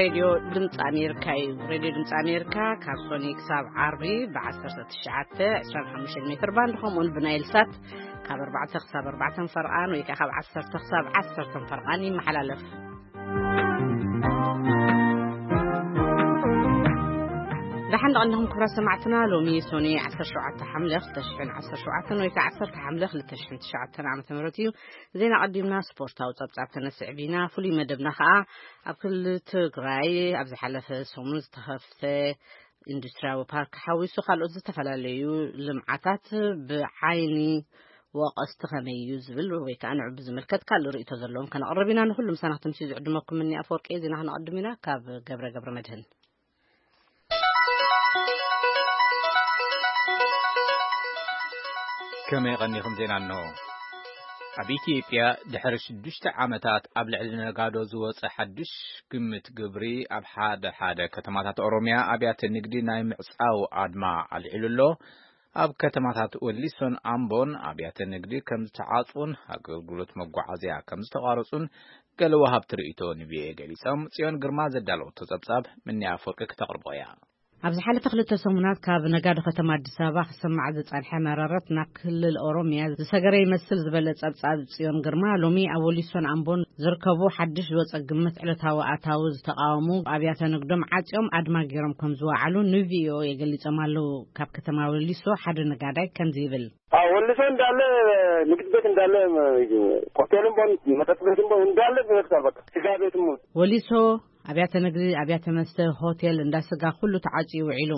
ሬድዮ ድምፂ ኣሜሪካ እዩ። ሬድዮ ድምፂ ኣሜሪካ ካብ ሶኒ ክሳብ ዓርቢ ብ1925 ሜትር ባንድ፣ ከምኡውን ብናይል ሳት ካብ ኣርባዕተ ክሳብ ኣርባዕተ ፈርቓን ወይ ከዓ ካብ ዓሰርተ ክሳብ ዓሰርተ ፈርቓን ይመሓላለፍ። ደሓን ደቐንኹም ክብራት ሰማዕትና። ሎሚ ሶኒ ዓሰርተ ሸውዓተ ሓምለ ክልተ ሽሕን ዓሰርተ ሸውዓተን ወይ ከዓ ዓሰርተ ሓምለ ክልተ ሽሕን ትሽዓተን ዓመተ ምህረት እዩ። ዜና ቀዲምና ስፖርታዊ ጸብጻብ ተነስዕብ ኢና። ፍሉይ መደብና ከዓ ኣብ ክልል ትግራይ ኣብ ዝሓለፈ ሰሙን ዝተኸፍተ ኢንዱስትሪያዊ ፓርክ ሓዊሱ ካልኦት ዝተፈላለዩ ልምዓታት ብዓይኒ ወቐስቲ ከመይ እዩ ዝብል ወይ ከዓ ንዑ ብዝምልከት ካልእ ርእይቶ ዘለዎም ከነቕርብ ኢና። ንኩሉ ምሳና ክትምሲ ዝዕድመኩም እኒ ኣፈወርቂ ዜና ክነቐድም ኢና። ካብ ገብረ ገብረ መድህን። ከመይ ቀኒኹም? ዜና እንሆ። ኣብ ኢትዮጵያ ድሕሪ ሽዱሽተ ዓመታት ኣብ ልዕሊ ነጋዶ ዝወጸ ሓድሽ ግምት ግብሪ ኣብ ሓደ ሓደ ከተማታት ኦሮሚያ ኣብያተ ንግዲ ናይ ምዕጻው ኣድማ ኣልዒሉ ኣሎ። ኣብ ከተማታት ወሊሶን ኣምቦን ኣብያተ ንግዲ ከም ዝተዓጽውን ኣገልግሎት መጓዓዝያ ከም ዝተቋረጹን ገለ ወሃብቲ ርእይቶ ንቪኦኤ ገሊጾም። ጽዮን ግርማ ዘዳለወቶ ጸብጻብ ምንያ ኣፈወርቂ ክተቕርቦ እያ። ኣብ ዝሓለፈ ክልተ ሰሙናት ካብ ነጋዶ ከተማ ኣዲስ ኣበባ ክሰማዕ ዝጸንሐ መረረት ናብ ክልል ኦሮሚያ ዝሰገረ ይመስል ዝበለ ጸብጻብ ጽዮን ግርማ፣ ሎሚ ኣብ ወሊሶን ኣምቦን ዝርከቡ ሓድሽ ዝወጸ ግምት ዕለታዊ ኣታዊ ዝተቃወሙ ኣብያተ ንግዶም ዓጽዮም ኣድማ ገይሮም ከም ዝወዓሉ ንቪኦኤ ገሊጾም ኣለዉ። ካብ ከተማ ወሊሶ ሓደ ነጋዳይ ከምዚ ይብል። አዎ፣ ወሊሶ እንዳለ ንግድ ቤት እንዳለ፣ ሆቴልም ቦን መጠጥ ቤትም ቦን እንዳለ ተዘግቷል። በቃ ስጋ ቤትም። ወሊሶ ኣብያተ ንግዲ፣ ኣብያተ መስተ፣ ሆቴል፣ እንዳ ስጋ ኩሉ ተዓጽዩ ውዒሉ።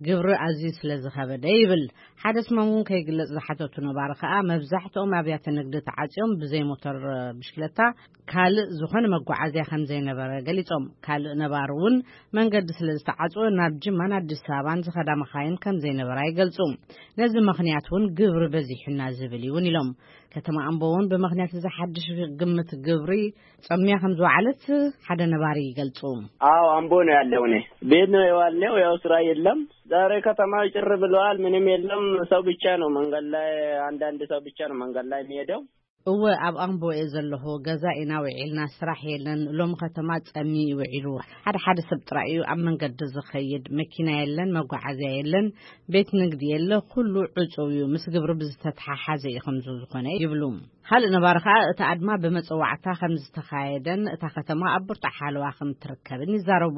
ግብሪ ኣዝዩ ስለ ዝኸበደ ይብል። ሓደ ስሞም እውን ከይግለጽ ዝሓተቱ ነባሪ ከኣ መብዛሕትኦም ኣብያተ ንግዲ ተዓጽዮም ብዘይ ሞተር ብሽክለታ ካልእ ዝኾነ መጓዓዝያ ከም ዘይነበረ ገሊጾም። ካልእ ነባሪ እውን መንገዲ ስለ ዝተዓጽወ ናብ ጅማን ኣዲስ ኣበባን ዝኸዳ መኻይን ከም ዘይነበራ ይገልጹ። ነዚ ምኽንያት እውን ግብሪ በዚሑና ዝብል እዩ እውን ኢሎም። ከተማ ኣምቦ እውን ብምኽንያት እዚ ሓድሽ ግምት ግብሪ ጸምያ ከም ዝወዓለት ሓደ ነባሪ ይገልጹ። አዎ፣ አምቦ ነው ያለው። እኔ ቤት ነው የዋልነው። ያው ስራ የለም። ዛሬ ከተማው ጭር ብለዋል። ምንም የለም። ሰው ብቻ ነው መንገድ ላይ፣ አንዳንድ ሰው ብቻ ነው መንገድ ላይ የሚሄደው። እወ፣ ኣብ ኣምቦ እየ ዘለኹ። ገዛ ኢና ውዒልና፣ ስራሕ የለን። ሎም ከተማ ጸሚ ውዒሉ። ሓደ ሓደ ሰብ ጥራይ እዩ ኣብ መንገዲ ዝኸይድ። መኪና የለን፣ መጓዓዝያ የለን፣ ቤት ንግዲ የለ፣ ኩሉ ዕጹው እዩ። ምስ ግብሪ ብዝተተሓሓዘ እዩ ከምዚ ዝኾነ ይብሉ። ካልእ ነባሪ ከኣ እቲ ኣድማ ብመጸዋዕታ ከም ዝተኻየደን እታ ከተማ ኣብ ብርቱዕ ሓለዋ ከም ትርከብን ይዛረቡ።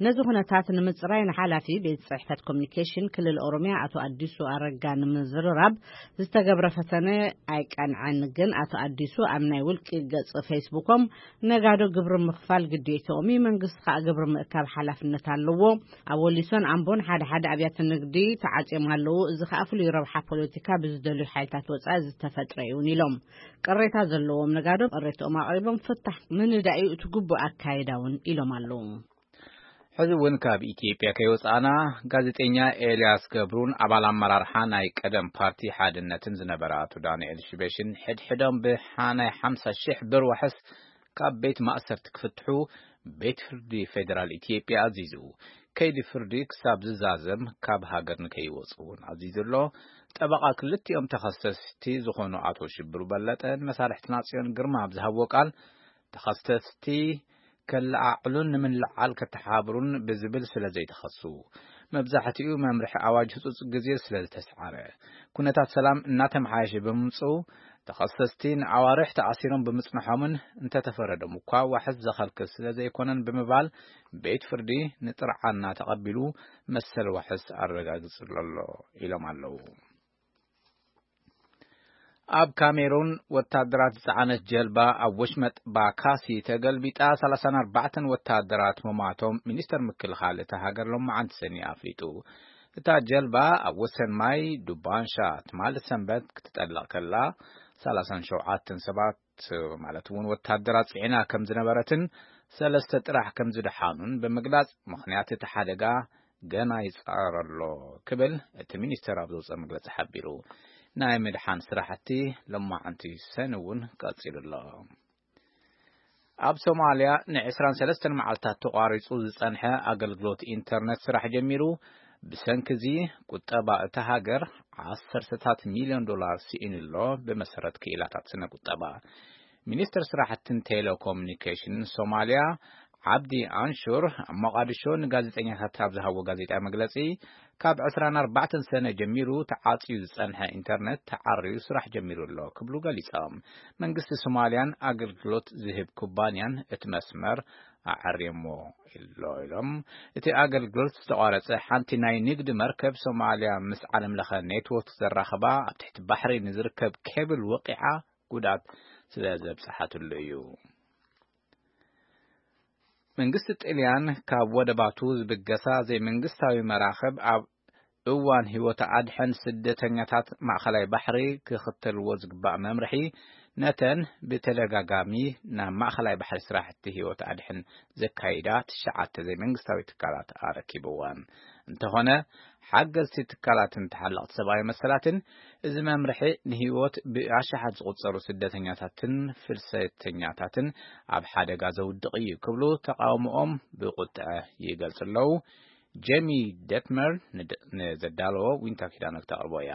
ነዚ ኩነታት ንምጽራይ ንሓላፊ ቤት ጽሕፈት ኮሚኒኬሽን ክልል ኦሮሚያ ኣቶ ኣዲሱ ኣረጋ ንምዝርራብ ዝተገብረ ፈተነ ኣይቀንዐን። ግን ኣቶ ኣዲሱ ኣብ ናይ ውልቂ ገጽ ፌስቡኮም ነጋዶ ግብሪ ምኽፋል ግዴትኦም እዩ፣ መንግስቲ ከኣ ግብሪ ምእካብ ሓላፍነት ኣለዎ። ኣብ ወሊሶን ኣምቦን ሓደ ሓደ ኣብያተ ንግዲ ተዓጽዮም ኣለዉ። እዚ ከኣ ፍሉይ ረብሓ ፖለቲካ ብዝደልዩ ሓይልታት ወጻኢ ዝተፈጥረ እዩ እውን ኢሎም። ቅሬታ ዘለዎም ነጋዶ ቅሬትኦም ኣቕሪቦም ፍታሕ ምንዳይ እዩ እቲ ግቡእ ኣካይዳ እውን ኢሎም ኣለዉ። ሕዚ እውን ካብ ኢትዮጵያ ከይወጻእና፣ ጋዜጠኛ ኤልያስ ገብሩን ኣባል ኣመራርሓ ናይ ቀደም ፓርቲ ሓድነትን ዝነበረ ኣቶ ዳንኤል ሽበሽን ሕድሕዶም ብሓ-፣ ናይ ሓምሳ ሺሕ ብር ዋሕስ ካብ ቤት ማእሰርቲ ክፍትሑ ቤት ፍርዲ ፌደራል ኢትዮጵያ ኣዚዙ። ከይዲ ፍርዲ ክሳብ ዝዛዘም ካብ ሃገር ንከይወጹ እውን ኣዚዙ ኣሎ። ጠበቓ ክልቲኦም ተኸሰስቲ ዝኾኑ ኣቶ ሽብሩ በለጠ ንመሳርሕትና ጽዮን ግርማ ኣብ ዝሃብዎ ቃል፣ ተኸሰስቲ ከለዓዕሉን ንምልዓል ከተሓብሩን ብዝብል ስለ ዘይተኸሱ፣ መብዛሕትኡ መምርሒ ኣዋጅ ህጹጽ ግዜ ስለ ዝተስዓረ፣ ኩነታት ሰላም እናተመሓየሸ ብምምጽኡ፣ ተኸሰስቲ ንኣዋርሕ ተኣሲሮም ብምጽንሖምን እንተተፈረዶም እኳ ዋሕስ ዘኸልክል ስለ ዘይኮነን ብምባል፣ ቤት ፍርዲ ንጥርዓና ተቐቢሉ መሰል ዋሕስ ኣረጋጊጹ ኣሎ ኢሎም ኣለዉ። ኣብ ካሜሩን ወታደራት ዝጸዓነት ጀልባ ኣብ ወሽመጥ ባካሲ ተገልቢጣ ሰላሳን ኣርባዕተን ወታደራት ምሟቶም ሚኒስተር ምክልኻል እታ ሃገር ሎማዓንቲ ሰኒ ኣፍሊጡ። እታ ጀልባ ኣብ ወሰን ማይ ዱባንሻ ትማሊ ሰንበት ክትጠልቕ ከላ፣ ሰላሳን ሸውዓተን ሰባት ማለት እውን ወታደራት ጽዒና ከም ዝነበረትን ሰለስተ ጥራሕ ከም ዝደሓኑን ብምግላጽ፣ ምኽንያት እቲ ሓደጋ ገና ይጻረር ኣሎ ክብል እቲ ሚኒስተር ኣብ ዘውጸ መግለጺ ሓቢሩ። ናይ ምድሓን ስራሕቲ ሎማዓንቲ ሰኒ እውን ቀጺሉ ኣሎ። ኣብ ሶማልያ ንዕስራን ሰለስተን መዓልታት ተቋሪጹ ዝጸንሐ ኣገልግሎት ኢንተርነት ስራሕ ጀሚሩ። ብሰንኪ እዚ ቁጠባ እታ ሃገር ዓሰርተታት ሚልዮን ዶላር ስኢኑ ኣሎ፣ ብመሰረት ክኢላታት ስነ ቁጠባ። ሚኒስትር ስራሕትን ቴሌኮሙኒኬሽንን ሶማልያ ዓብዲ ኣንሹር ኣብ ሞቓዲሾ ንጋዜጠኛታት ኣብ ዝሃቦ ጋዜጣዊ መግለጺ፣ ካብ ዕስራን ኣርባዕተን ሰነ ጀሚሩ ተዓጽዩ ዝጸንሐ ኢንተርነት ተዓርዩ ስራሕ ጀሚሩ ኣሎ ክብሉ ገሊጾም። መንግስቲ ሶማልያን ኣገልግሎት ዝህብ ኩባንያን እቲ መስመር ኣዐርዮሞ ኣሎ ኢሎም። እቲ ኣገልግሎት ዝተቋረጸ ሓንቲ ናይ ንግዲ መርከብ ሶማልያ ምስ ዓለም ለኸ ኔትወርክ ዘራኸባ ኣብ ትሕቲ ባሕሪ ንዝርከብ ኬብል ወቂዓ ጉድኣት ስለ ዘብጽሓትሉ እዩ። መንግስቲ ጥልያን ካብ ወደባቱ ዝብገሳ ዘይመንግስታዊ መራኽብ ኣብ እዋን ህይወት ኣድሕን ስደተኛታት ማእኸላይ ባሕሪ ክኽተልዎ ዝግባእ መምርሒ፣ ነተን ብተደጋጋሚ ናብ ማእኸላይ ባሕሪ ስራሕቲ ህይወት ኣድሕን ዘካይዳ ትሽዓተ ዘይመንግስታዊ ትካላት ኣረኪብወን። እንተኾነ፣ ሓገዝቲ ትካላትን ተሓለቕቲ ሰብኣዊ መሰላትን፣ እዚ መምርሒ ንህይወት ብኣሽሓት ዝቑጸሩ ስደተኛታትን ፍልሰተኛታትን ኣብ ሓደጋ ዘውድቕ እዩ ክብሉ ተቓውሞኦም ብቁጥዐ ይገልጹ ኣለዉ። ጄሚ ደትመር ንድ-፣ ንዘዳለዎ ዊንታ ኪዳነ ክተቕርቦ እያ።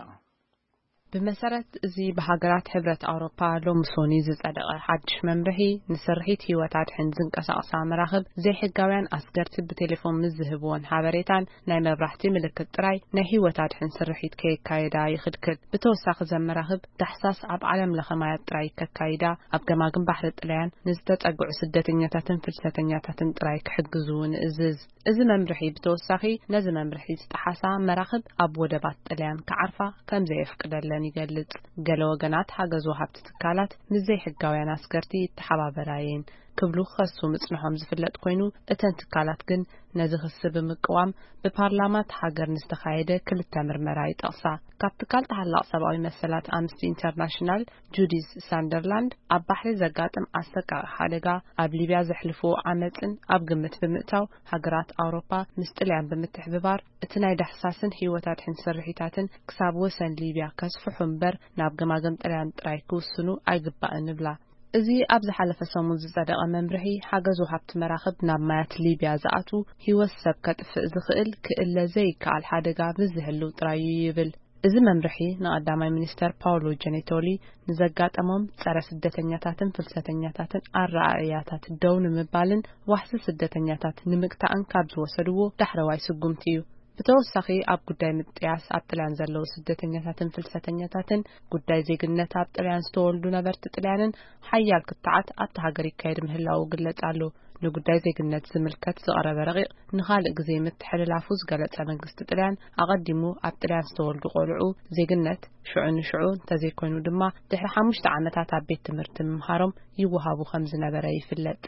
ብመሰረት እዚ ብሃገራት ሕብረት ኣውሮፓ ሎሚ ሶኒ ዝጸደቐ ሓድሽ መምርሒ፣ ንስርሒት ህይወት ኣድሕን ዝንቀሳቐሳ መራኽብ ዘይሕጋውያን ኣስገርቲ ብቴሌፎን ምስ ዝህብዎን ሓበሬታን ናይ መብራህቲ ምልክት ጥራይ ናይ ህይወት ኣድሕን ስርሒት ከየካየዳ ይኽልክል። ብተወሳኺ፣ እዘን መራኽብ ዳሕሳስ ኣብ ዓለም ለኸ ማያት ጥራይ ከካይዳ፣ ኣብ ገማግም ባሕሪ ጥልያን ንዝተጸግዑ ስደተኛታትን ፍልሰተኛታትን ጥራይ ክሕግዙ እውን እዝዝ። እዚ መምርሒ ብተወሳኺ፣ ነዚ መምርሒ ዝጠሓሳ መራኽብ ኣብ ወደባት ጥልያን ክዓርፋ ከም ዘየፍቅደለን ይገልጽ። ገለ ወገናት ሓገዝ ወሃብቲ ትካላት ምስ ዘይሕጋውያን ኣስገርቲ ይተሓባበራ እየን ክብሉ ክኸሱ ምጽንሖም ዝፍለጥ ኮይኑ፣ እተን ትካላት ግን ነዚ ክሲ ብምቅዋም ብፓርላማ እቲ ሃገር ንዝተኻየደ ክልተ ምርመራ ይጠቕሳ። ካብ ትካል ተሓላቕ ሰብኣዊ መሰላት ኣምነስቲ ኢንተርናሽናል ጁዲዝ ሳንደርላንድ፣ ኣብ ባሕሪ ዘጋጥም ኣሰቃቂ ሓደጋ፣ ኣብ ሊብያ ዘሕልፍዎ ዓመጽን ኣብ ግምት ብምእታው፣ ሃገራት ኣውሮፓ ምስ ጥልያን ብምትሕብባር እቲ ናይ ዳህሳስን ህይወት ኣድሕን ስርሒታትን ክሳብ ወሰን ሊብያ ከስፍሑ እምበር ናብ ገማግም ጥልያን ጥራይ ክውስኑ ኣይግባእን ይብላ። እዚ ኣብ ዝሓለፈ ሰሙን ዝጸደቐ መምርሒ፣ ሓገዝ ወሃብቲ መራኽብ ናብ ማያት ሊብያ ዝኣትዉ፣ ህይወት ሰብ ከጥፍእ ዝኽእል ክእለ ዘይከኣል ሓደጋ ምስ ዝህልው ጥራይ እዩ ይብል። እዚ መምርሒ ንቐዳማይ ሚኒስተር ፓውሎ ጀኔቶሊ ንዘጋጠሞም ጸረ ስደተኛታትን ፍልሰተኛታትን ኣረኣእያታት ደው ንምባልን ዋሕሲ ስደተኛታት ንምግታእን ካብ ዝወሰድዎ ዳሕረዋይ ስጉምቲ እዩ። ብተወሳኺ፣ ኣብ ጉዳይ ምጥያስ ኣብ ጥልያን ዘለዉ ስደተኛታትን ፍልሰተኛታትን፣ ጉዳይ ዜግነት ኣብ ጥልያን ዝተወልዱ ነበርቲ ጥልያንን ሓያል ክትዓት ኣብቲ ሃገር ይካየድ ምህላዉ ይግለጽ ኣሎ። ንጉዳይ ዜግነት ዝምልከት ዝቐረበ ረቂቕ ንኻልእ ግዜ ምትሕልላፉ ዝገለጸ መንግስቲ ጥልያን፣ ኣቐዲሙ ኣብ ጥልያን ዝተወልዱ ቆልዑ ዜግነት ሽዑ ንሽዑ እንተዘይኮይኑ ድማ ድሕሪ ሓሙሽተ ዓመታት ኣብ ቤት ትምህርቲ ምምሃሮም ይወሃቡ ከም ዝነበረ ይፍለጥ።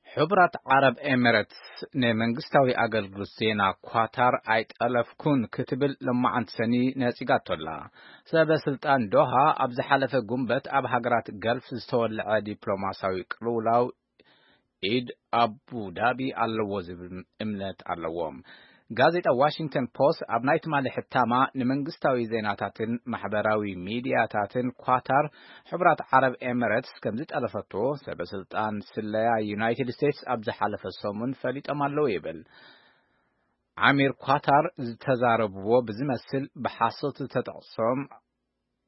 ሕቡራት ዓረብ ኤሚሬትስ ንመንግስታዊ ኣገልግሎት ዜና ኳታር ኣይጠለፍኩን ክትብል ሎማዓንቲ ሰኒ ነጺጋቶ ኣላ። ሰበ ስልጣን ዶሃ ኣብ ዝሓለፈ ጉንበት ኣብ ሃገራት ገልፍ ዝተወልዐ ዲፕሎማሲያዊ ቅልውላው ኢድ ኣቡ ዳቢ ኣለዎ ዝብል እምነት ኣለዎም። ጋዜጣ ዋሽንግተን ፖስት ኣብ ናይ ትማሊ ሕታማ፣ ንመንግስታዊ ዜናታትን ማሕበራዊ ሚድያታትን ኳታር፣ ሕቡራት ዓረብ ኤሚሬትስ ከም ዝጠለፈቶ ሰበ ስልጣን ስለያ ዩናይትድ ስቴትስ ኣብ ዝሓለፈ ሰሙን ፈሊጦም ኣለዉ ይብል። ዓሚር ኳታር ዝተዛረብዎ ብዝመስል ብሓሶት ዝተጠቕሶም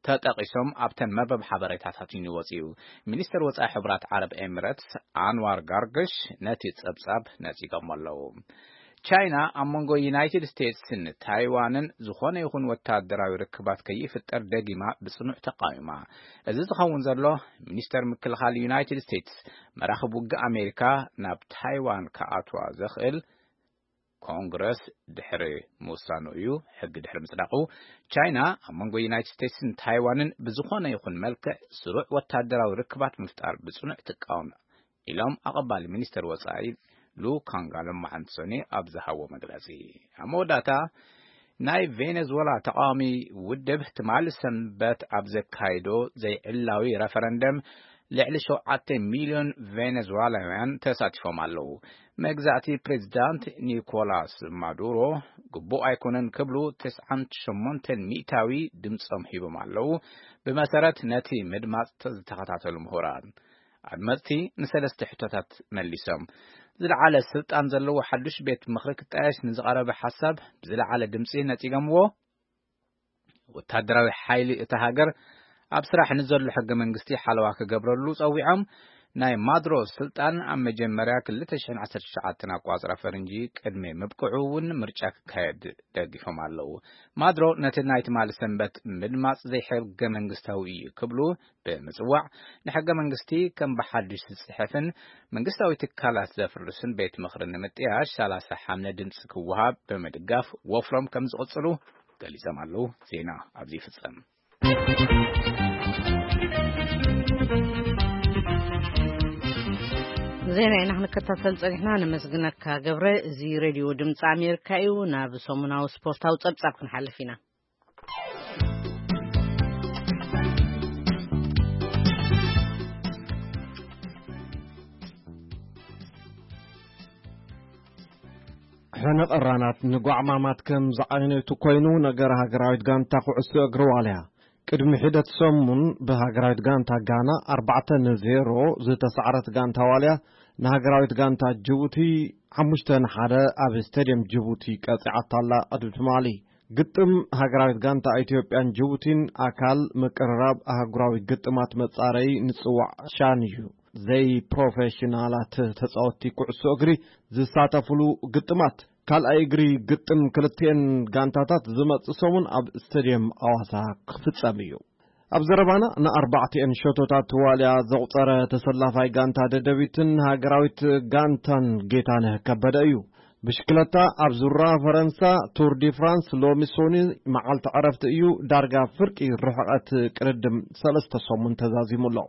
ተጠቒሶም ኣብተን መርበብ ሓበሬታታት እዩ ወጺኡ። ሚኒስተር ወጻኢ ሕቡራት ዓረብ ኤሚሬትስ ኣንዋር ጋርግሽ ነቲ ጸብጻብ ነጺጎሞ ኣለዉ። ቻይና ኣብ መንጎ ዩናይትድ ስቴትስን ታይዋንን ዝኾነ ይኹን ወታደራዊ ርክባት ከይፍጠር ደጊማ ብጽኑዕ ተቃዊማ። እዚ ዝኸውን ዘሎ፣ ሚኒስተር ምክልኻል ዩናይትድ ስቴትስ፣ መራኽብ ውግእ ኣሜሪካ ናብ ታይዋን ክኣትዋ ዘኽእል ኮንግረስ ድሕሪ ምውሳኑ እዩ። ሕጊ ድሕሪ ምጽዳቑ፣ ቻይና ኣብ መንጎ ዩናይትድ ስቴትስን ታይዋንን ብዝኾነ ይኹን መልክዕ ስሩዕ ወታደራዊ ርክባት ምፍጣር ብጽኑዕ ትቃወም ኢሎም ኣቐባሊ ሚኒስተር ወጻኢ ሉ ካንግ ሎማዓንቲ ሰኒ ኣብ ዝሃቦ መግለጺ። ኣብ መወዳእታ፣ ናይ ቬኔዙዌላ ተቃዋሚ ውድብ ትማሊ ሰንበት ኣብ ዘካይዶ ዘይዕላዊ ረፈረንደም ልዕሊ ሸውዓተ ሚልዮን ቬኔዙዌላውያን ተሳቲፎም ኣለዉ። መግዛእቲ ፕሬዚዳንት ኒኮላስ ማዱሮ ግቡእ ኣይኮነን ክብሉ ተስዓን ሸሞንተን ሚእታዊ ድምጾም ሂቦም ኣለዉ። ብመሰረት ነቲ ምድማጽ ዝተኸታተሉ ምሁራን፣ ኣድመጽቲ ንሰለስተ ሕቶታት መሊሶም። ዝለዓለ ስልጣን ዘለዎ ሓዱሽ ቤት ምኽሪ ክጣየሽ ንዝቐረበ ሓሳብ ብዝለዓለ ድምጺ ነጺጎምዎ። ወታደራዊ ሓይሊ እታ ሃገር ኣብ ስራሕ ንዘሎ ሕገ መንግስቲ ሓለዋ ክገብረሉ ጸዊዖም። ናይ ማድሮ ስልጣን ኣብ መጀመርያ ክልተ ሽሕን ዓሰርተ ትሽዓተን ኣቋጽራ ፈረንጂ ቅድሚ ምብቅዑ እውን ምርጫ ክካየድ ደጊፎም ኣለዉ። ማድሮ ነቲ ናይ ትማሊ ሰንበት ምድማጽ ዘይሕገ መንግስታዊ እዩ ክብሉ ብምጽዋዕ፣ ንሕገ መንግስቲ ከም ብሓድሽ ዝጽሕፍን መንግስታዊ ትካላት ዘፍርስን ቤት ምኽሪ ንምጥያሽ ሰላሳ ሓምለ ድምጺ ክወሃብ ብምድጋፍ ወፍሮም ከም ዝቕጽሉ ገሊጾም ኣለዉ። ዜና ኣብዚ ይፍጸም። ዜና ኢና ክንከታተል ጸኒሕና። ነመስግነካ ገብረ። እዚ ሬድዮ ድምፂ ኣሜሪካ እዩ። ናብ ሰሙናዊ ስፖርታዊ ጸብጻብ ክንሓልፍ ኢና። ሕነ ቀራናት ንጓዕማማት ከም ዝዓይነቱ ኮይኑ፣ ነገር ሃገራዊት ጋንታ ኩዕሶ እግሪ ዋልያ ቅድሚ ሒደት ሰሙን ብሃገራዊት ጋንታ ጋና ኣርባዕተ ንዜሮ ዝተሳዕረት ጋንታ ዋልያ፣ ንሃገራዊት ጋንታ ጅቡቲ ሓሙሽተ ንሓደ ኣብ ስቴድየም ጅቡቲ ቀጺዓታ ኣላ። ቅድሚ ትማሊ ግጥም ሃገራዊት ጋንታ ኢትዮጵያን ጅቡቲን ኣካል ምቅርራብ ኣህጉራዊ ግጥማት መጻረዪ ንጽዋዕ ሻን እዩ። ዘይፕሮፌሽናላት ተጻወትቲ ኩዕሶ እግሪ ዝሳተፍሉ ግጥማት ካልኣይ እግሪ ግጥም ክልቲኤን ጋንታታት ዝመጽእ ሰሙን ኣብ ስቴድየም ኣዋሳ ክፍጸም እዩ። ኣብ ዘረባና ንኣርባዕቲኤን ሸቶታት ዋልያ ዘቑጸረ ተሰላፋይ ጋንታ ደደቢትን ሃገራዊት ጋንታን ጌታነህ ከበደ እዩ። ብሽክለታ ኣብ ዙራ ፈረንሳ ቱር ዲ ፍራንስ ሎሚ ሶኒ መዓልቲ ዕረፍቲ እዩ። ዳርጋ ፍርቂ ርሕቐት ቅድድም ሰለስተ ሰሙን ተዛዚሙ ኣሎ።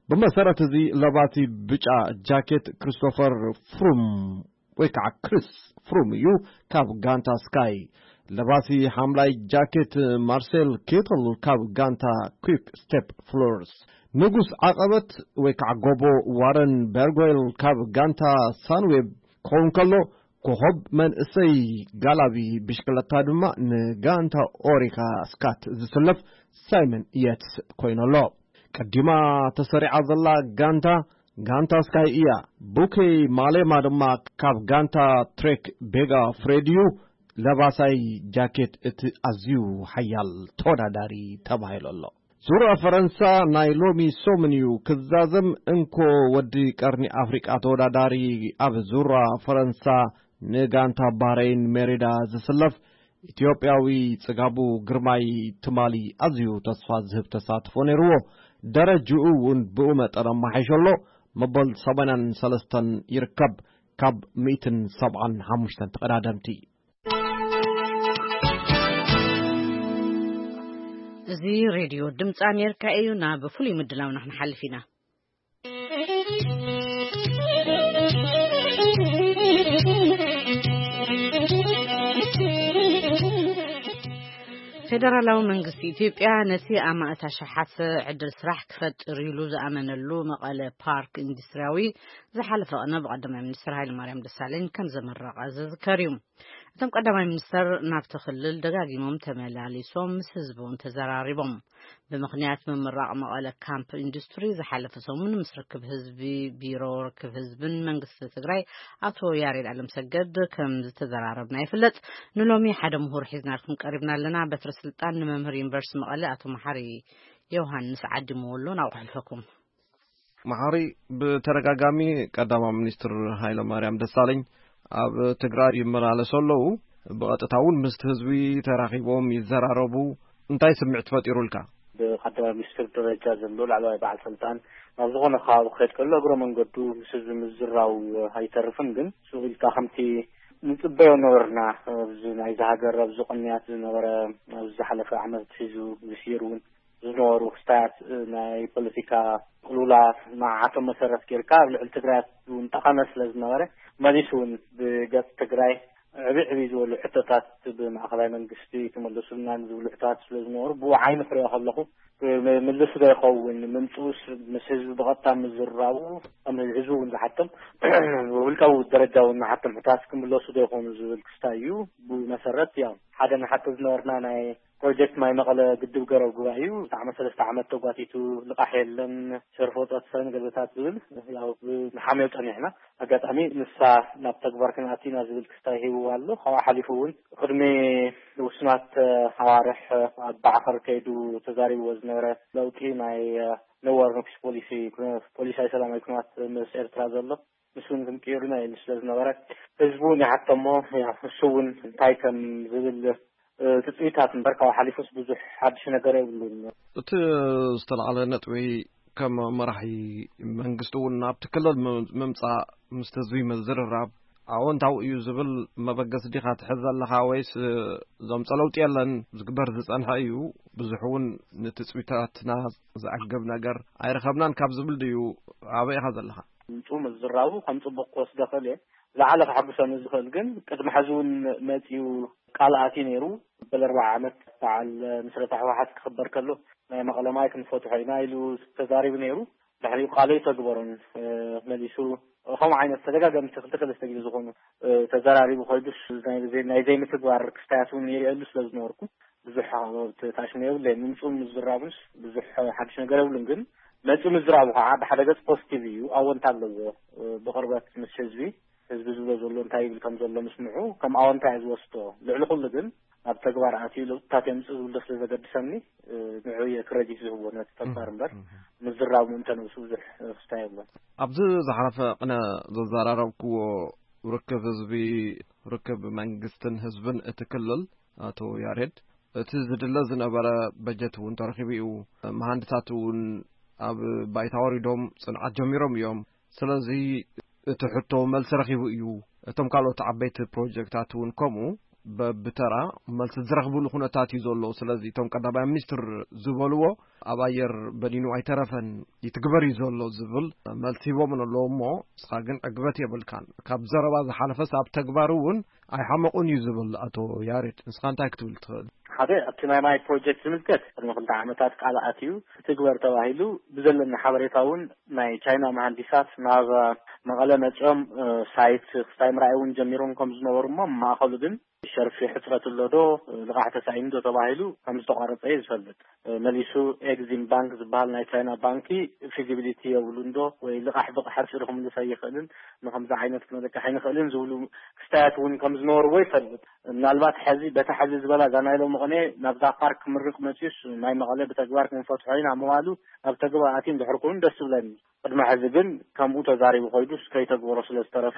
ብመሰረት እዚ ለባሲ ብጫ ጃኬት ክሪስቶፈር ፍሩም ወይ ከዓ ክሪስ ፍሩም እዩ ካብ ጋንታ ስካይ። ለባሲ ሓምላይ ጃኬት ማርሴል ኬትል ካብ ጋንታ ኩክ ስቴፕ ፍሎርስ። ንጉስ ዓቐበት ወይ ከዓ ጎቦ ዋረን በርጎይል ካብ ጋንታ ሳንዌብ ክኸውን ከሎ፣ ኮኸብ መንእሰይ ጋላቢ ብሽክለታ ድማ ንጋንታ ኦሪካ ስካት ዝስለፍ ሳይመን የትስ ኮይኑ ኣሎ። ቀዲማ ተሰሪዓ ዘላ ጋንታ፣ ጋንታ ስካይ እያ። ቡኬ ማሌማ ድማ ካብ ጋንታ ትሬክ ቤጋ ፍሬድዩ ለባሳይ ጃኬት እቲ ኣዝዩ ሓያል ተወዳዳሪ ተባሂሉ ኣሎ። ዙራ ፈረንሳ ናይ ሎሚ ሰሙን እዩ ክዛዘም። እንኮ ወዲ ቀርኒ ኣፍሪቃ ተወዳዳሪ ኣብ ዙራ ፈረንሳ ንጋንታ ባህረይን ሜሪዳ ዝስለፍ ኢትዮጵያዊ ጽጋቡ ግርማይ ትማሊ ኣዝዩ ተስፋ ዝህብ ተሳትፎ ነይርዎ። ደረጅኡ እውን ብኡ መጠን ኣማሓይሾ ኣሎ። መበል ሰማንያን ሰለስተን ይርከብ ካብ ሚእትን ሰብዓን ሓሙሽተን ተቐዳደምቲ። እዚ ሬድዮ ድምፂ ኣሜሪካ እዩ። ናብ ፍሉይ ምድላውና ክንሓልፍ ኢና። ፌደራላዊ መንግስቲ ኢትዮጵያ ነቲ ኣማእት ኣሽሓት ዕድል ስራሕ ክፈጥር ኢሉ ዝኣመነሉ መቐለ ፓርክ ኢንዱስትሪያዊ ዝሓለፈ ቅነ ብቀዳማይ ሚኒስትር ሃይለማርያም ደሳለኝ ከም ዘመረቐ ዝዝከር እዩ። እቶም ቀዳማይ ሚኒስተር ናብቲ ክልል ደጋጊሞም ተመላሊሶም ምስ ህዝቢ እውን ተዘራሪቦም። ብምኽንያት ምምራቕ መቐለ ካምፕ ኢንዱስትሪ ዝሓለፈ ሰሙን ምስ ርክብ ህዝቢ፣ ቢሮ ርክብ ህዝብን መንግስቲ ትግራይ ኣቶ ያሬድ ኣለምሰገድ ከም ዝተዘራረብና ይፍለጥ። ንሎሚ ሓደ ምሁር ሒዝናልኩም ቀሪብና ኣለና። በትሪ ስልጣን ንመምህር ዩኒቨርሲቲ መቐለ ኣቶ መሓሪ ዮሃንስ ዓዲምዎ ኣሎ። ናብኡ ከሕልፈኩም። መሓሪ፣ ብተደጋጋሚ ቀዳማይ ሚኒስትር ሃይለማርያም ደሳለኝ ኣብ ትግራይ ይመላለሱ ኣለዉ። ብቐጥታ እውን ምስቲ ህዝቢ ተራኺቦም ይዘራረቡ። እንታይ ስምዒት ፈጢሩልካ? ብቀዳማይ ሚኒስትር ደረጃ ዘሎ ላዕለዋይ በዓል ስልጣን ናብ ዝኾነ ከባቢ ክኸድ ከሎ እግረ መንገዱ ምስ ህዝቢ ምዝራው ኣይተርፍን። ግን ሱቕ ኢልካ ከምቲ ንጽበዮ ነበርና፣ ኣብዚ ናይዚ ሃገር ኣብዚ ቅንያት ዝነበረ፣ ኣብዚ ዝሓለፈ ዓመት ሒዙ ዝስይር እውን ዝነበሩ ክስታያት፣ እ፣ ናይ ፖለቲካ ቅልውላዋት ንዓቶም መሰረት ጌርካ ኣብ ልዕሊ ትግራይ እውን ጠቐነ ስለ ዝነበረ፣ መሊሱ እውን ብገጽ ትግራይ ዕብይ ዕብይ ዝበሉ ሕቶታት ብማእኸላይ መንግስቲ ክምልሱልና ዝብሉ ሕቶታት ስለ ዝነበሩ፣ ብኡ ዓይኒ ክሪኦ ከለኹ፣ ም-፣ ምልሱ ዶ ይኸውን? ምምፅኡስ ምስ ህዝቢ ብቐጥታ ምዝራቡ፣ ከም ህዝቢ እውን ዝሓቶም፣ ብውልቃዊ ደረጃ እውን ንሓቶም ሕቶታት ክምለሱ ዶ ይኾኑ ዝብል ክስታይ እዩ። ብኡ መሰረት፣ ያው፣ ሓደ ንሓቶ ዝነበርና ናይ ፕሮጀክት ማይ መቐለ ግድብ ገረብ ጉባኤ እዩ። ብጣዕሚ ሰለስተ ዓመት ተጓቲቱ፣ ልቓሕ የለን፣ ሸርፎ ጸትፈን ገለታት ዝብል፣ ያው፣ ብ-፣ ንሓምዮ ጸኒሕና። ኣጋጣሚ ንሳ ናብ ተግባር ክንኣቱ ኢና ዝብል ክስታይ ሂብዋ ኣሎ። ካብኡ ሓሊፉ እውን ቅድሚ ውሱናት ኣዋርሕ ኣብ ባዕኸር ከይዱ ተዛሪብዎ ዝነበረ ለውጢ ናይ ነዋር ንክስ ፖሊሲ ፖሊሳይ ሰላማዊ ኩናት ምስ ኤርትራ ዘሎ፣ ንሱ እውን ክንቅይሩና ኢሉ ስለ ዝነበረ፣ ህዝቡ እውን ይሓተሞ። ያው ንሱ እውን እንታይ ከም ዝብል ትፅቢታት እምበር፣ ካብኡ ሓሊፉስ ብዙሕ ሓድሽ ነገር የብሉን። እቲ ዝተላዕለ ነጥቢ፣ ከም መራሒ መንግስቲ እውን ናብቲ ክልል ምምፃእ፣ ምስቲ ህዝቢ ምዝርራብ ኣወንታዊ እዩ ዝብል መበገሲ ዲኻ ትሕዝ ዘለኻ፣ ወይስ ዘምፀ ለውጢ የለን፣ ዝግበር ዝፀንሐ እዩ፣ ብዙሕ እውን ንትፅቢታትና ዘዕግብ ነገር ኣይረኸብናን ካብ ዝብል ድዩ? ኣበይ ኢኻ ዘለኻ? ምምፅኡ ምዝራቡ ከም ፅቡቅ ክወስዶ ክእል እየ። ዝለዓለ ከሐጉሰኒ ዝኽእል ግን፣ ቅድሚ ሕዚ እውን መፂኡ ቃል ኣትዩ ነይሩ። በል ኣርባዓ ዓመት በዓል ምስረታ ህወሓት ክኽበር ከሎ፣ ናይ መቐለ ማይ ክንፈትሖ ኢና ኢሉ ተዛሪቡ ነይሩ። ድሕሪኡ ቃሉ ኣይተግበሮን። መሊሱ ከምኡ ዓይነት ተደጋጋሚ ክልተ ክልተ ግዜ ዝኾኑ ተዘራሪቡ ኮይዱስ፣ ናይ ዘይምትግባር ክስታያት እውን ይርእየሉ ስለ ዝነበርኩ፣ ብዙሕ ተታሽሙ የብለይን። ምምፅኡን ምዝራቡንስ ብዙሕ ሓድሽ ነገር የብሉን። ግን መፂኡ ምዝራቡ ከዓ ብሓደ ገፅ ፖዚቲቭ እዩ፣ ኣወንታ ኣለዎ። ብቕርበት ምስ ህዝቢ፣ ህዝቢ ዝብሎ ዘሎ እንታይ ይብል ከም ዘሎ ምስምዑ ከም ኣወንታ እየ ዝወስዶ። ልዕሊ ኩሉ ግን ኣብ ተግባር ኣትዩ ለውጥታት የምፅእ ዝብል ስለ ዘገድሰኒ፣ ንዑ እየ ክረዲት ዝህቦ ነቲ ተግባር እምበር፣ ምዝራቡ እንተ ነብሱ ብዙሕ ክስታይ የብሎን። ኣብዚ ዝሓለፈ ቅነ ዘዘራረብክዎ ርክብ ህዝቢ፣ ርክብ መንግስትን ህዝብን እቲ ክልል፣ ኣቶ ያሬድ፣ እቲ ዝድለ ዝነበረ በጀት እውን ተረኺቡ እዩ። መሃንድሳት እውን ኣብ ባይታ ወሪዶም ፅንዓት ጀሚሮም እዮም። ስለዚ እቲ ሕቶ መልሲ ረኺቡ እዩ። እቶም ካልኦት ዓበይቲ ፕሮጀክታት እውን ከምኡ በብተራ መልሲ ዝረኽብሉ ኩነታት እዩ ዘሎ። ስለዚ እቶም ቀዳማይ ሚኒስትር ዝበልዎ ኣብ ኣየር በኒኑ ኣይተረፈን፣ ይትግበር እዩ ዘሎ ዝብል መልሲ ሂቦም ኣለዉ እሞ፣ ንስኻ ግን ዕግበት የብልካን። ካብ ዘረባ ዝሓለፈስ ኣብ ተግባር እውን ኣይሓመቑን እዩ ዝብል ኣቶ ያሬድ። ንስኻ እንታይ ክትብል ትኽእል? ሓደ፣ ኣብቲ ናይ ማይ ፕሮጀክት ዝምልከት ቅድሚ ክልተ ዓመታት ቃል ኣትዩ ክትግበር ተባሂሉ፣ ብዘለኒ ሓበሬታ እውን ናይ ቻይና መሃንዲሳት ናብ መቐለ መፂኦም ሳይት ክስታይ ምርኣይ እውን ጀሚሮም ከም ዝነበሩ እሞ፣ ማእኸሉ ግን ሸርፊ ሕፅረት ኣሎ ዶ፣ ልቓሕ ተሳኢኑ ዶ ተባሂሉ ከም ዝተቋረፀ እዩ ዝፈልጥ። መሊሱ ኤግዚም ባንክ ዝበሃል ናይ ቻይና ባንኪ ፊዚቢሊቲ የብሉን ዶ ወይ ልቓሕ ብሓፂሩ ክምልስ ኣይኽእልን፣ ንከምዚ ዓይነት ክነለቅሕ ኣይንኽእልን ዝብሉ ክስታያት እውን ከም ዝነበርዎ ይፈልጥ። ምናልባት ሕዚ በታ ሕዚ ዝበላ እዛ ናይ ሎሚ ቅነ ናብዛ ፓርክ ክምርቕ መፅዩስ ናይ መቐለ ብተግባር ክንፈትሖ ኢና ምባሉ ኣብ ተግባር ኣትዩ እንድሕር ኮይኑ ደስ ዝብለኒ። ቅድሚ ሕዚ ግን ከምኡ ተዛሪቡ ኮይዱስ ከይተግበሮ ስለ ዝተረፈ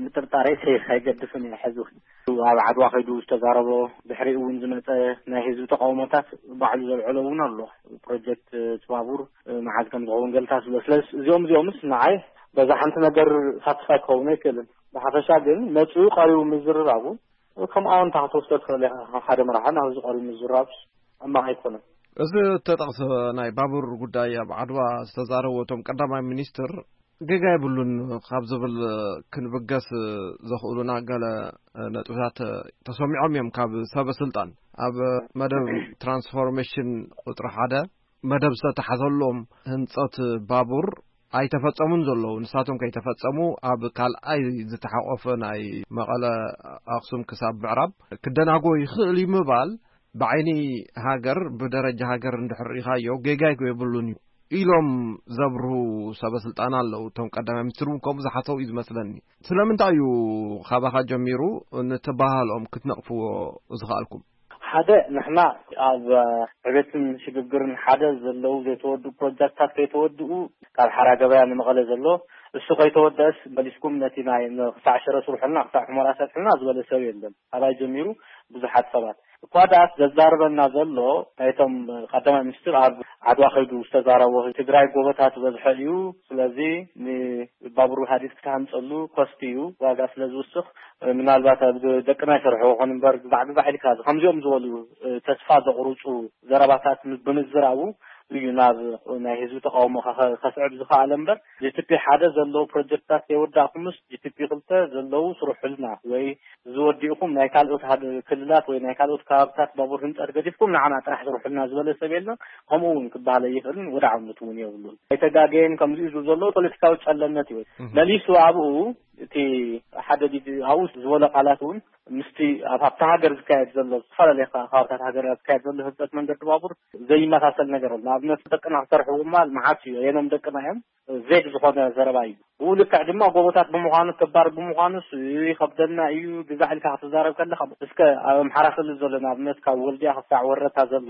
ምጥርጣረይ ከይ-፣ ከይገድፍን እየ። ሕዚ እውን ኣብ ዓድዋ ከይዱ ዝተዛረቦ፣ ድሕሪኡ እውን ዝመፀ ናይ ህዝቢ ተቃውሞታት ባዕሉ ዘልዐሎ እውን ኣሎ። ፕሮጀክት እቲ ባቡር መዓዝ ከም ዝኸውን ገልታት ስለ፣ ስለዚ እዚኦም እዚኦምስ ንዓይ በዛ ሓንቲ ነገር ሳትስፋይ ክኸውን ኣይክእልን። ብሓፈሻ ግን መፅኡ ቀሪቡ ምዝርራቡ ከም ኣወንታ ክትወስዶ ትኽእል ኢኻ። ካብ ሓደ መራሒ ናብዚ ቀሪቡ ምዝራብ ሕማቕ ኣይኮነን። እዚ እተጠቕሰ ናይ ባቡር ጉዳይ ኣብ ዓድዋ ዝተዛረቡ እቶም ቀዳማይ ሚኒስትር፣ ጌጋ የብሉን ካብ ዝብል ክንብገስ ዘኽእሉና ገለ ነጥብታት ተሰሚዖም እዮም ካብ ሰበ ስልጣን። ኣብ መደብ ትራንስፎርሜሽን ቁፅሪ ሓደ መደብ ዝተተሓዘሎም ህንፀት ባቡር ኣይተፈጸሙን ዘለዉ። ንሳቶም ከይተፈጸሙ ኣብ ካልኣይ ዝተሓቆፈ ናይ መቐለ ኣኽሱም ክሳብ ምዕራብ ክደናጎ ይኽእል እዩ ምባል ብዓይኒ ሃገር፣ ብደረጃ ሃገር እንድሕር ርኢኻዮ ጌጋ የብሉን እዩ ኢሎም ዘብርሁ ሰበ ስልጣን ኣለዉ። እቶም ቀዳማይ ሚኒስትር እውን ከምኡ ዝሓሰቡ እዩ ዝመስለኒ። ስለምንታይ እዩ ካባኻ ጀሚሩ ንትበሃልኦም ክትነቕፍዎ ዝኸኣልኩም? ሓደ፣ ንሕና ኣብ ዕቤትን ሽግግርን ሓደ ዘለዉ ዘይተወድኡ ፕሮጀክታት ከይተወድኡ፣ ካብ ሓራ ገበያ ንመቐለ ዘሎ እሱ ከይተወደአስ መሊስኩም ነቲ ናይ ክሳዕ ሽረ ስርሑልና፣ ክሳዕ ሑመራ ሰፍሑልና ዝበለ ሰብ የለን። ካባይ ጀሚሩ ብዙሓት ሰባት እኳ ደኣስ ዘዛርበና ዘሎ ናይቶም ቀዳማይ ሚኒስትር ኣብ ዓድዋ ከይዱ ዝተዛረቦ ትግራይ ጎቦታት ዝበዝሖ እዩ። ስለዚ ንባቡር ሃዲድ ክትሃንፀሉ ኮስት እዩ፣ ዋጋ ስለ ዝውስኽ ምናልባት ኣብ ደቅና ይሰርሕዎ ኾን እምበር ግዛዕ ግዛዕ ኢልካ ከምዚኦም ዝበሉ ተስፋ ዘቑርፁ ዘረባታት ብምዝራቡ እዩ ናብ ናይ ህዝቢ ተቃውሞ ከ-፣ ከስዕብ ዝኸኣለ እምበር፣ ጂ ቲ ፒ ሓደ ዘለዎ ፕሮጀክትታት ከይወዳእኩምስ ጂ ቲ ፒ ክልተ ዘለዉ ስርሑልና ወይ ዝወዲእኹም ናይ ካልኦት ሃገ-፣ ክልላት ወይ ናይ ካልኦት ከባብታት ባቡር ህንፀት ገዲፍኩም ንዓና ጥራሕ ስርሑልና ዝበለ ሰብ የለን። ከምኡ እውን ክበሃል ኣይኽእልን፣ ወደ ዓውነት እውን የብሉን። ኣይተጋገየን ከምዚ እዩ ዘሎ ፖለቲካዊ ጨለነት እዩ። እህ። መሊሱ ኣብኡ እቲ ሓደ ዲድ ኣብኡ ዝበሎ ቃላት እውን ምስቲ ኣብ ኣብታ ሃገር ዝካየድ ዘሎ፣ ዝተፈላለየ ካ- ከባብታት ሃገር ዝካየድ ዘሎ ህንፀት መንገዲ ባቡር ዘይመሳሰል ነገር ኣሎ። ንኣብነት ደቅና ክሰርሕዎ ምባል መዓት እዩ። የኖም ደቅና እዮም፣ ዜግ ዝኾነ ዘረባ እዩ። ብኡ ልክዕ ድማ ጎቦታት ብምዃኑ፣ ክባር ብምዃኑ ይኸብደና እዩ ግዛዕ ኢልካ ክትዛረብ ከለኻ፣ እስከ ኣብ ኣምሓራ ክልል ዘሎ ንኣብነት ካብ ወልዲያ ክሳዕ ወረታ ዘሎ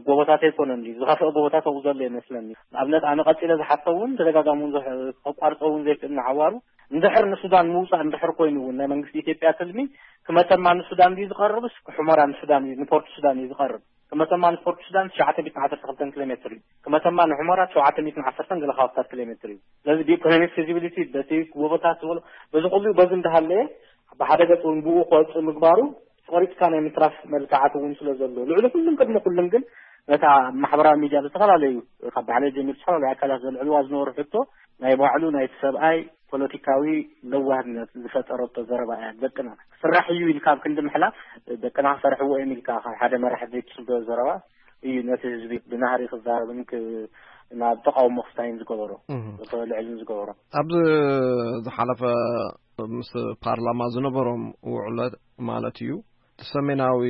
ጎቦታት ኣይኮነን ድዩ? ዝኸፍአ ጎቦታት ኣብኡ ዘሎ ይመስለኒ። ንኣብነት ኣነ ቀፂለ ዝሓቶ እውን ተደጋጋሚ እውን ዝሕ- ከቋርፆ እውን ዘይክእል ንሓዋሩ እንድሕር ንሱዳን ምውፃእ እንድሕር ኮይኑ እውን ናይ መንግስቲ ኢትዮጵያ ትልሚ ክመተማ ንሱዳን ድዩ ዝቐርብስ ክሑመራ ንሱዳን እዩ ንፖርት ሱዳን እዩ ዝቐርብ? ክመተማ ንፖርት ሱዳን ትሽዓተ ሚእትን ዓሰርተ ክልተን ኪሎ ሜትር እዩ። ክመተማ ንሑመራ ትሽዓተ ሚእትን ዓሰርተን ገለ ከባብታት ኪሎ ሜትር እዩ። ስለዚ ብኢኮኖሚክ ፊዚቢሊቲ በቲ ጎቦታት ዝበሎ በዚ ኩሉ በዚ እንዳሃለየ ብሓደ ገፅ እውን ብኡ ክወፅእ ምግባሩ ቆሪፅካ ናይ ምትራፍ መልክዓት እውን ስለ ዘሎ ልዕሊ ኩሉም ቅድሚ ኩሉም ግን ነታ ማሕበራዊ ሚድያ ዝተፈላለዩ ካብ ባዕለይ ጀሚሩ ዝተፈላለዩ ኣካላት ዘልዕልዋ ዝነበሩ ሕቶ ናይ ባዕሉ ናይቲ ሰብኣይ ፖለቲካዊ ለዋህነት ዝፈጠረቶ ዘረባ እያ። ደቅና ክስራሕ እዩ ኢልካ ኣብ ክንዲ ምሕላፍ ደቅና ክሰርሕዎ እዮም ኢልካ ካብ ሓደ መራሒ ዘይትስዶ ዘረባ እዩ ነቲ ህዝቢ ብናህሪ ክዛረብን ክ- ናብ ተቃውሞ ክስታይን ዝገበሮ እህ። ክልዕልን ዝገበሮ። ኣብዚ ዝሓለፈ ምስ ፓርላማ ዝነበሮም ውዕለት ማለት እዩ እቲ ሰሜናዊ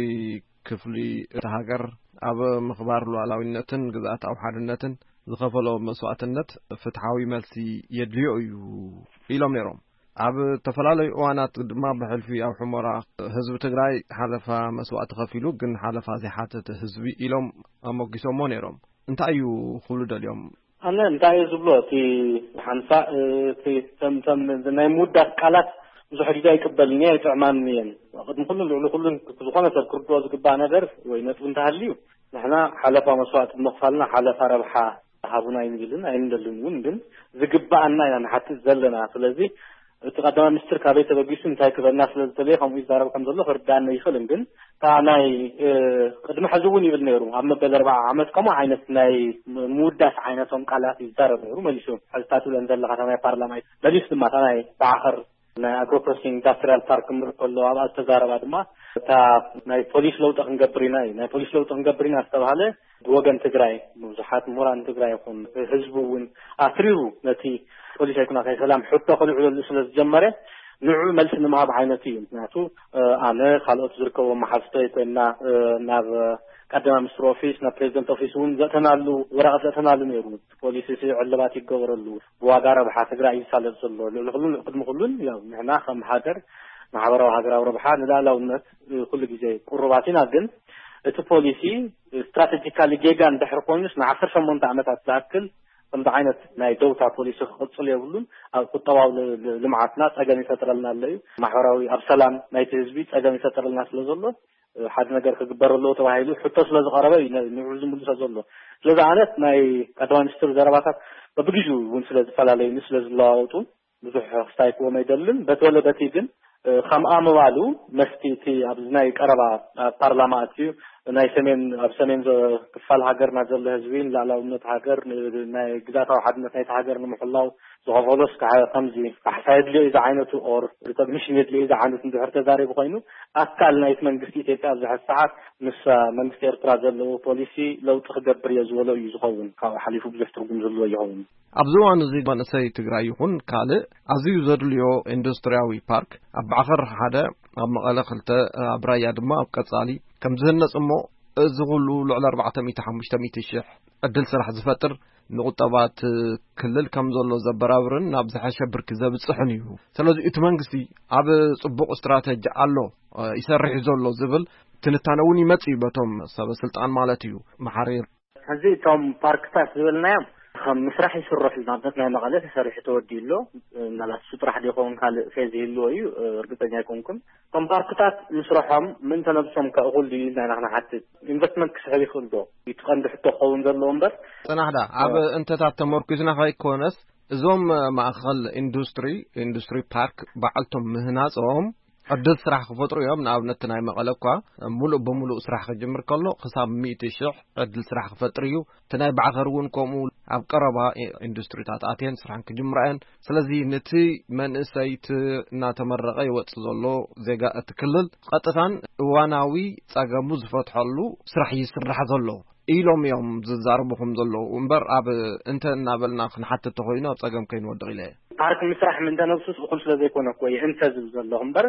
ክፍሊ እቲ ሃገር ኣብ ምኽባር ሉዓላዊነትን ግዝኣታዊ ሓድነትን ዝኸፈሎ መስዋእትነት ፍትሓዊ መልሲ የድልዮ እዩ ኢሎም ነይሮም። ኣብ ዝተፈላለዩ እዋናት ድማ ብሕልፊ ኣብ ሑመራ ህዝቢ ትግራይ ሓለፋ መስዋእቲ ከፊሉ ግን ሓለፋ ዘይሓተተ ህዝቢ ኢሎም ኣሞጊሶሞ ነይሮም። እንታይ እዩ ክብሉ ደልዮም? ኣነ እንታይ እየ ዝብሎ እቲ ሓንሳእ እቲ ተምተም ናይ ምውዳስ ቃላት ብዙሕ ግዜ ኣይቅበልን እየ ኣይጥዕማን እየን። ቅድሚ ኩሉን ልዕሊ ኩሉን ዝኾነ ሰብ ክርድኦ ዝግባእ ነገር ወይ ነጥቢ እንተሃልዩ ንሕና ሓለፋ መስዋእቲ ብምኽፋልና ሓለፋ ረብሓ ሃቡና ኣይንብልን ኣይንደልን እውን ግን ዝግባኣና ኢና ንሓትት ዘለና። ስለዚ እቲ ቀዳማይ ሚኒስትር ካበይ ተበጊሱ እንታይ ክበና ስለ ዝደለየ ከምኡ ይዛረብ ከም ዘሎ ክርዳእና ይኽእልን ግን እታ ናይ ቅድሚ ሕዚ እውን ይብል ነይሩ ኣብ መበል ኣርባዓ ዓመት ከምኡ ዓይነት ናይ ምውዳስ ዓይነቶም ቃላት ይዛረብ ነይሩ። መሊሱ ሕዝታት ብለን ዘለካ እታ ናይ ፓርላማ መሊሱ ድማ እታ ናይ ባዕኸር ናይ ኣግሮ ፕሮሰሲንግ ኢንዳስትሪያል ፓርክ ምር ከሎ ኣብኣ ዝተዛረባ ድማ እታ ናይ ፖሊስ ለውጢ ክንገብር ኢና እዩ ናይ ፖሊስ ለውጢ ክንገብር ኢና ዝተባሃለ ብወገን ትግራይ ብዙሓት ምሁራን ትግራይ ይኹን ህዝቢ እውን ኣትሪሩ ነቲ ፖሊስ ኣይኩና ከይሰላም ሕቶ ከልዕለሉ ስለ ዝጀመረ ንዑ መልሲ ንምሃብ ዓይነት እዩ። ምክንያቱ ኣነ ካልኦት ዝርከቦ መሓዝቶ ኮይና ናብ ቀዳማ ሚኒስትር ኦፊስ ናብ ፕሬዚደንት ኦፊስ እውን ዘእተናሉ ወረቐት ዘእተናሉ ነይሩ። ፖሊሲ ዕልባት ይገበረሉ ብዋጋ ረብሓ ትግራይ ይሳለጥ ዘሎ ልዕሊ ኩሉን ቅድሚ ኩሉን ያው ንሕና ከም ሃገር ማሕበራዊ ሃገራዊ ረብሓ ንላዕላውነት ኩሉ ግዜ ቁሩባት ኢና። ግን እቲ ፖሊሲ ስትራቴጂካሊ ጌጋ እንድሕር ኮይኑስ ንዓሰርተ ሸሞንተ ዓመታት ዝኣክል ከምዚ ዓይነት ናይ ደውታ ፖሊሲ ክቕፅል የብሉን። ኣብ ቁጠባዊ ልምዓትና ፀገም ይፈጥረልና ኣሎ እዩ። ማሕበራዊ ኣብ ሰላም ናይቲ ህዝቢ ፀገም ይፈጥረልና ስለ ዘሎ ሓደ ነገር ክግበር ኣለዎ ተባሂሉ ሕቶ ስለ ዝቐረበ እዩ ንዑ ዝምልሶ ዘሎ። ስለዚ ኣነት ናይ ቀዳማይ ሚኒስትር ዘረባታት በብግዜኡ እውን ስለ ዝፈላለዩኒ ስለ ዝለዋወጡ ብዙሕ ክስታይክዎም ኣይደልን። በቲ ወለ በቲ ግን ከምኣ ምባሉ መስቲ እቲ ኣብዚ ናይ ቀረባ ፓርላማ ኣትዩ ናይ ሰሜን ኣብ ሰሜን ክፋል ሃገርና ዘሎ ህዝቢ ንላዕላውነት ሃገር ናይ ግዛታዊ ሓድነት ናይቲ ሃገር ንምሕላው ዝኸፈሎስ ከምዚ ካሕሳ የድልዮ እዚ ዓይነቱ ኦር ሪኮግኒሽን የድልዮ እዚ ዓይነት እንድሕር ተዛሪቡ ኮይኑ ኣካል ናይቲ መንግስቲ ኢትዮጵያ ኣብዚ ሕዚ ሰዓት ምስ መንግስቲ ኤርትራ ዘለዎ ፖሊሲ ለውጢ ክገብር እየ ዝበሎ እዩ ዝኸውን። ካብኡ ሓሊፉ ብዙሕ ትርጉም ዘለዎ ይኸውን። ኣብዚ እዋን እዚ መንእሰይ ትግራይ ይኹን ካልእ ኣዝዩ ዘድልዮ ኢንዱስትሪያዊ ፓርክ ኣብ ባዕኸር ሓደ ኣብ መቐለ ክልተ ኣብ ራያ ድማ ኣብ ቀጻሊ ከም ዝህነጽ እሞ እዚ ኩሉ ልዕሊ ኣርባዕተ ሚእቲ ሓሙሽተ ሚእቲ ሽሕ ዕድል ስራሕ ዝፈጥር ንቁጠባ እቲ ክልል ከም ዘሎ ዘበራብርን ናብ ዝሐሸ ብርኪ ዘብጽሕን እዩ። ስለዚ እቲ መንግስቲ ኣብ ጽቡቕ ስትራተጂ ኣሎ ይሰርሕ ዘሎ ዝብል ትንታነ እውን ይመጽእ እዩ በቶም ሰበ ስልጣን ማለት እዩ። መሓሪ ሕዚ እቶም ፓርክታት ዝበልናዮም ከም ምስራሕ ይስርሑ ንኣብነት ናይ መቐለ ተሰሪሑ ተወዲኡ ኣሎ። ምናልባት እሱ ጥራሕ ዶ ይኸውን ካልእ ፌዝ ይህልዎ እዩ እርግፀኛ ኣይኮንኩን። እቶም ፓርክታት ምስርሖም ምእንተ ነብሶም ከእኹል ድዩ ኢልና ኢና ክንሓትት። ኢንቨስትመንት ክስሕብ ይኽእል ዶ? እቲ ቀንዲ ሕቶ ክኸውን ዘለዎ እምበር። ፅናሕዳ ኣብ እንተታት ተመርኩዝና ከይኮነስ እዞም ማእኸል ኢንዱስትሪ ኢንዱስትሪ ፓርክ በዓልቶም ምህናፆም ዕድል ስራሕ ክፈጥሩ እዮም። ንኣብነት ናይ መቐለ እኳ ሙሉእ ብሙሉእ ስራሕ ክጅምር ከሎ ክሳብ ሚእቲ ሽሕ ዕድል ስራሕ ክፈጥር እዩ። እቲ ናይ ባዕኸር እውን ከምኡ ኣብ ቀረባ ኢንዱስትሪታት ኣትየን ስራሕን ክጅምራ እየን። ስለዚ ነቲ መንእሰይ እቲ እናተመረቐ ይወፅእ ዘሎ ዜጋ እቲ ክልል ቀጥታን እዋናዊ ፀገሙ ዝፈትሐሉ ስራሕ ይስራሕ ዘሎ ኢሎም እዮም ዝዛረቡ ከም ዘለዉ እምበር ኣብ እንተ እናበልና ክንሓትት ተኮይኑ ኣብ ፀገም ከይንወድቕ ኢለ እየ። ፓርክ ምስራሕ ምንተ ነብሱስ እኹል ስለ ዘይኮነ እኮ እየ እንተ ዝብል ዘለኹ እምበር፣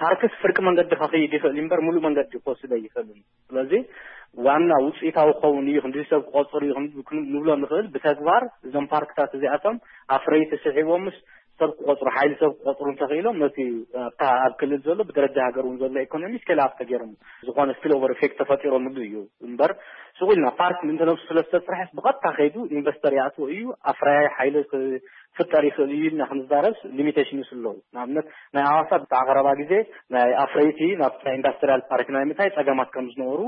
ፓርክስ ፍርቂ መንገዲ ከኽይድ ይኽእል እዩ እምበር፣ ሙሉእ መንገዲ ክወስዶ ኣይኽእልን። ስለዚ ዋና ውፅኢታዊ ክኸውን እዩ፣ ክንዲ ሰብ ክቆፅር እዩ ክንዲ ክን-፣ ንብሎ ንኽእል። ብተግባር እዞም ፓርክታት እዚኣቶም ኣፍረይቲ ስሒቦምስ ሰብ ክቆፅሩ፣ ሓይሊ ሰብ ክቆፅሩ እንተኽኢሎም፣ ነቲ ኣብታ ኣብ ክልል ዘሎ ብደረጃ ሃገር እውን ዘሎ ኢኮኖሚ ስኬል ኣፕ ተገይሮም፣ ዝኾነ ስፒል ኦቨር ኢፌክት ተፈጢሮምሉ እዩ እምበር፣ ስቕ ኢልና ፓርክ ምእንቲ ነብሱ ስለ ዝተፅርሐስ ብቐጥታ ከይዱ ኢንቨስተር ይኣትዎ እዩ፣ ኣፍራያይ ሓይሊ ክፍጠር ይኽእል እዩ ኢልና ክንዛረብስ ሊሚቴሽንስ ኣለዉ። ንኣብነት ናይ ኣዋሳ ብጣዕ ቀረባ ግዜ ናይ ኣፍረይቲ ናብታ ኢንዳስትሪያል ፓርክ ናይ ምእታይ ጸገማት ከም ዝነበሩ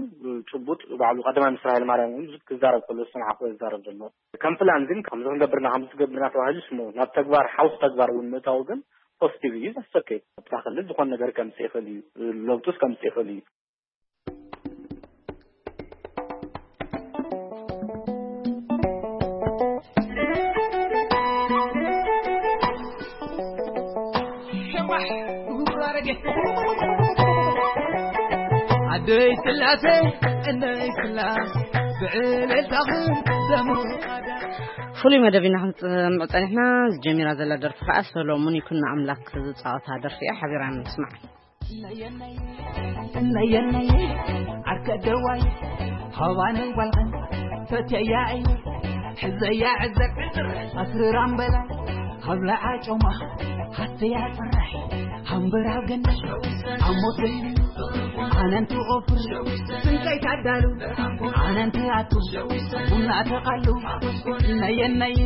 ጭቡጥ ባዕሉ ቀዳማይ ሚኒስትር ሃይለማርያም እውን ክዛረብ ከሎ ዝሰማዕኩ ዝዛረብ ዘሎ። ከም ፕላን ግን ከምዚ ክንገብርና ከምዚ ትገብርና ተባሂሉ ስሙ ናብ ተግባር ሓውስ ተግባር እውን ምእታው ግን ፖዚቲቭ እዩ። ዘሰከ ኣብታ ክልል ዝኾነ ነገር ከምፅእ ይኽእል እዩ፣ ለውጡስ ከምፅእ ይኽእል እዩ። ኣደይ ስላሴ እነይ ስላስ ብዕልልታኽን ደምቕ። ፍሉይ መደብ ኢና ክንፅምዕ ፀኒሕና። ዝጀሚራ ዘላ ደርፊ ከዓ ሰሎሙን ይኩን ኣምላክ ዝፃወታ ደርፊ እያ። ሓቢራ ንስማዕ። ነየነየ ዓርከ ደዋይ ሃዋነይ ጓልኸን ፈትያ እየ ሕዘያ ዕዘር ዕዝር ኣስርራም በላ ሃብላ ዓጮማ ሃተያ ጽራሕ ሃምበራ ገነ ኣሞተይ ኣነንቱ ኦፍር ስንቀይ ካዳሉ ኣነንቱ ኣቱ ቡና ተቃሉ ነየነየ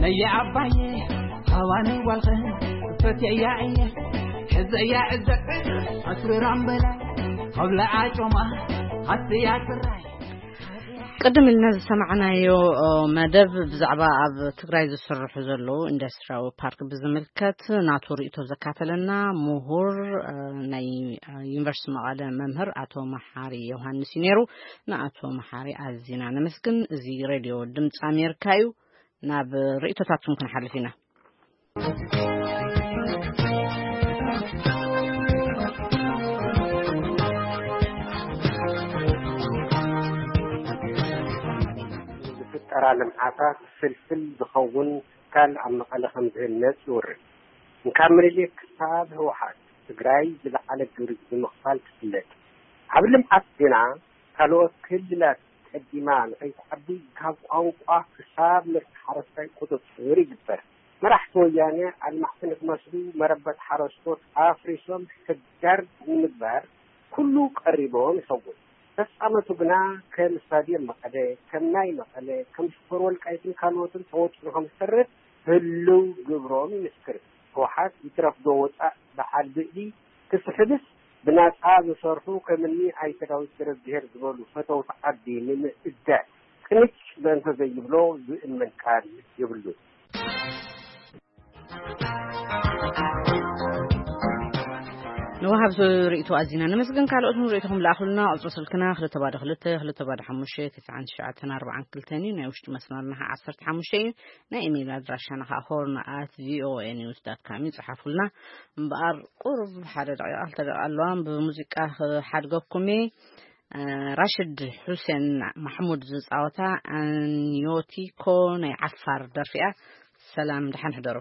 ነየ ዓባየ ሃዋነይ ጓልኸን ፈትያ እየ ሕዘያ ዕዘር ዕዝር ኣስርራም በላ ሃብላ ዓጮማ ሃተያ ጽራሕ ቅድም ኢልና ዝሰማዕናዮ መደብ ብዛዕባ ኣብ ትግራይ ዝስርሑ ዘለዉ ኢንዱስትሪያዊ ፓርክ ብዝምልከት ናቱ ርእይቶ ዘካፈለና ምሁር ናይ ዩኒቨርሲቲ መቐለ መምህር ኣቶ መሓሪ ዮሃንስ እዩ ነይሩ። ንኣቶ መሓሪ ኣዚና ነመስግን። እዚ ሬድዮ ድምፂ ኣሜሪካ እዩ። ናብ ርእይቶታትኩም ክንሓልፍ ኢና። ዝፍጠራ ልምዓታት ፍልፍል ዝኸውን ትካል ኣብ መቐለ ከም ዝህነፅ ይውርን። እንካብ ምኒልክ ክሳብ ህወሓት ትግራይ ዝለዓለ ግብሪ ብምኽፋል ትፍለጥ። ዓቢ ልምዓት ግና ካልኦት ክልላት ቀዲማ ንኸይትዓቢ ካብ ቋንቋ ክሳብ ምርሲ ሓረስታይ ቁፅፅር ይግበር። መራሕቲ ወያነ ኣልማዕቲ ንክመስሉ መረበት ሓረስቶት ኣፍሪሶም ሕጋር ንምግባር ኩሉ ቀሪቦም ይኸውን። ተፃመቱ ግና ከም ስታድየም መቐለ፣ ከም ናይ መቐለ፣ ከም ሽኮር ወልቃይትን ካልኦትን ተወጢኑ ከም ዝተርፍ ህልው ግብሮም ይምስክር። ህወሓት ይትረፍዶ ወፃእ በዓል ብእሊ ክስሕብስ ብናፃ ዝሰርሑ ከምኒ ኣይተ ዳዊት ገረዝግሄር ዝበሉ ፈተውቲ ዓዲ ንምእዳእ ቅንጭ በእንተ ዘይብሎ ዝእመን ቃል የብሉን። ንወሃብ ርእይቶ ኣዚና ነመስግን። ካልኦት ርእይቶኹም ለኣኹልና። ቁፅሪ ስልክና ክልተ ባዶ ክልተ ክልተ ባዶ ሓሙሽተ ትስዓን ትሽዓተን ኣርባዓን ክልተን እዩ። ናይ ውሽጢ መስመርና ከዓ ዓሰርተ ሓሙሽተ እዩ። ናይ ኢሜይል ኣድራሻና ከዓ ሆርን ኣት ቪኦኤ ኒውስ ዳት ካም እዩ። ፅሓፉልና። እምበኣር ቁሩብ ሓደ ደቂቃ ክልተ ደቂቃ ኣለዋ። ብሙዚቃ ክሓድገኩም እየ። ራሽድ ሑሴን ማሕሙድ ዝፃወታ ኣንዮቲኮ ናይ ዓፋር ደርፊ እያ። ሰላም፣ ደሓን ሕደሩ።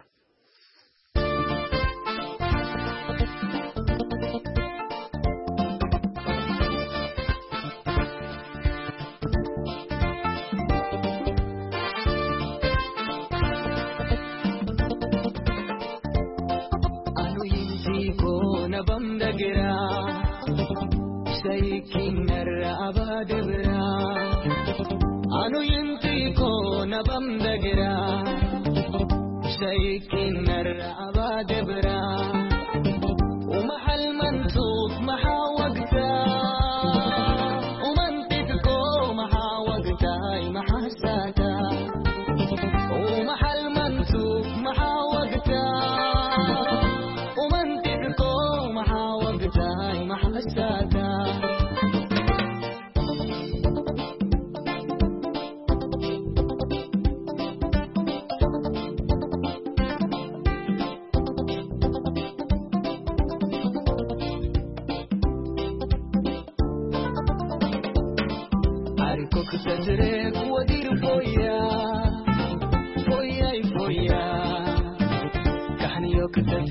ክተት